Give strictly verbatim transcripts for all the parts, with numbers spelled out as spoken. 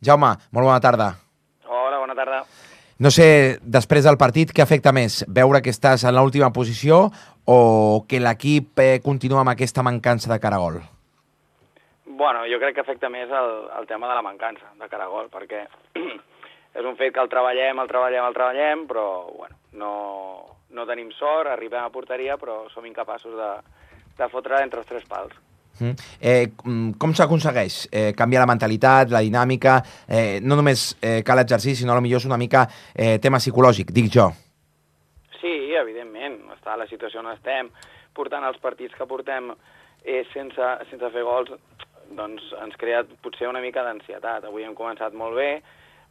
Jaume, molt bona tarda. Hola, bona tarda. No sé, després del partit, què afecta més? Veure que estàs en l'última posició o que l'equip eh, continua amb aquesta mancança de cara a gol? Bueno, jo crec que afecta més el, el tema de la mancança de cara a gol, perquè és un fet que el treballem, el treballem, el treballem, però bueno, no, no tenim sort, arribem a porteria, però som incapaços de, de fotre entre els tres pals. Mm. Eh, com s'aconsegueix eh, canviar la mentalitat, la dinàmica? Eh, no només eh, cal exercici, sinó potser és una mica eh, tema psicològic, dic jo. Sí, evidentment, està a la situació on estem, portant els partits que portem eh, sense, sense fer gols, doncs ens crea potser una mica d'ansietat. Avui hem començat molt bé,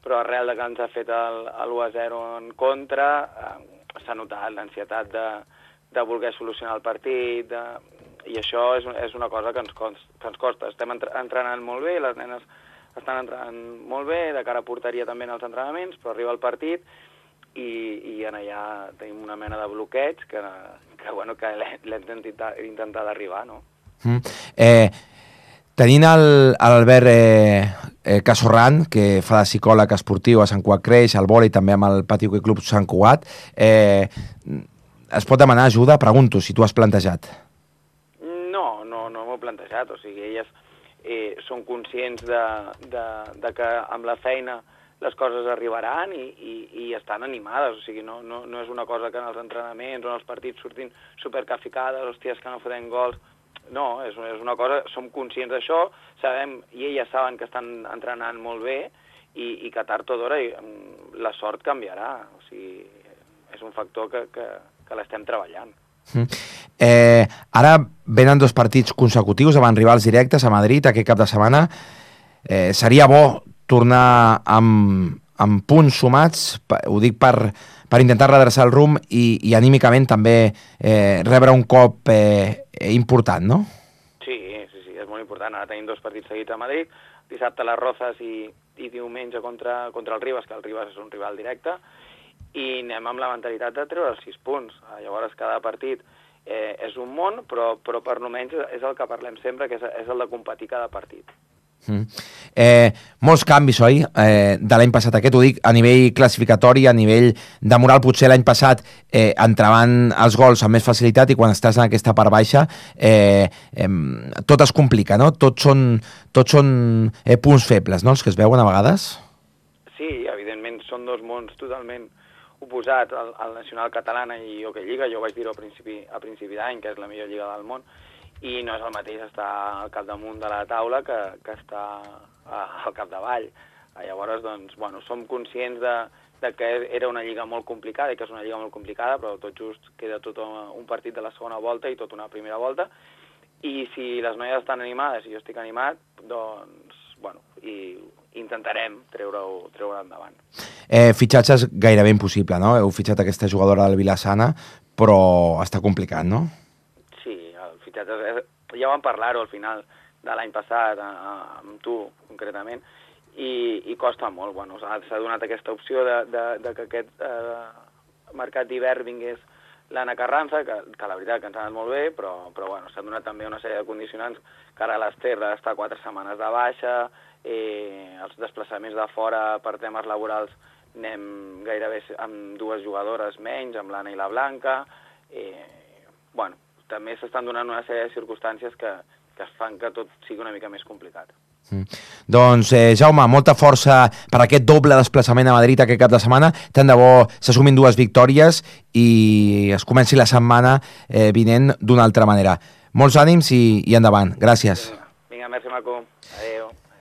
però arrel de que ens ha fet l'u a zero en contra, eh, s'ha notat l'ansietat de, de voler solucionar el partit, de... i això és, és una cosa que ens, costa, que ens costa. Estem entrenant molt bé, les nenes estan entrenant molt bé, de cara a porteria també en els entrenaments, però arriba el partit i, i en allà tenim una mena de bloqueig que, que, bueno, que l'hem intentat arribar, no? Mm. Eh, tenint l'Albert eh, eh, Casorran, que fa de psicòleg esportiu a Sant Cugat Creix, al vòlei també amb el Pati Hoquei Club Sant Cugat, eh, es pot demanar ajuda? Pregunto, si tu has plantejat. plantejat, o sigui, elles eh, són conscients de, de, de que amb la feina les coses arribaran i, i, i estan animades, o sigui, no, no, no és una cosa que en els entrenaments o en els partits surtin supercaficades, hòsties, que no fotem gols, no, és, és una cosa, som conscients d'això, sabem, i elles saben que estan entrenant molt bé i, i que tard o d'hora la sort canviarà, o sigui, és un factor que, que, que l'estem treballant. Eh, ara venen dos partits consecutius davant rivals directes a Madrid aquest cap de setmana. Eh, seria bo tornar amb, amb punts sumats, ho dic per, per intentar redreçar el rumb i, i anímicament també eh, rebre un cop eh, important, no? Sí, sí, sí, és molt important. Ara tenim dos partits seguits a Madrid, dissabte a les Rozas i, i diumenge contra, contra el Ribas, que el Ribas és un rival directe, i anem amb la mentalitat de treure els sis punts. Llavors, cada partit eh, és un món, però, però per almenys és el que parlem sempre, que és, és el de competir cada partit. Mm. Eh, molts canvis, oi? Eh, de l'any passat aquest, ho dic a nivell classificatori, a nivell de moral, potser l'any passat eh, entraven els gols amb més facilitat i quan estàs en aquesta part baixa eh, eh, tot es complica, no? Tots són, tots són eh, punts febles, no?, els que es veuen a vegades? Sí, evidentment, són dos mons totalment oposat al, al Nacional Catalana i Hockey Lliga. Jo vaig dir-ho a principi, a principi d'any, que és la millor lliga del món, i no és el mateix estar al capdamunt de la taula que, que estar al capdavall. Llavors, doncs, bueno, som conscients de, de que era una lliga molt complicada i que és una lliga molt complicada, però tot just queda tot un partit de la segona volta i tot una primera volta, i si les noies estan animades i jo estic animat, doncs, bueno, i intentarem treure-ho treure endavant. Eh, fitxatge és gairebé impossible, no? Heu fitxat aquesta jugadora del Vilassana, però està complicat, no? Sí, el fitxatge... És... Ja vam parlar-ho al final de l'any passat, amb tu concretament, i, i costa molt. Bueno, s'ha donat aquesta opció de, de, de que aquest eh, mercat d'hivern vingués l'Anna Carranza, que, que la veritat que ens ha anat molt bé, però, però bueno, s'ha donat també una sèrie de condicionants, que ara l'Ester ha d'estar quatre setmanes de baixa, eh, els desplaçaments de fora per temes laborals anem gairebé amb dues jugadores menys, amb l'Anna i la Blanca. Eh, bueno, també s'estan donant una sèrie de circumstàncies que, que fan que tot sigui una mica més complicat. Mm. Doncs, eh, Jaume, molta força per aquest doble desplaçament a Madrid aquest cap de setmana. Tant de bo s'assumin dues victòries i es comenci la setmana eh, vinent d'una altra manera. Molts ànims i, i endavant. Gràcies. Vinga, vinga, merci, Marco. Adéu.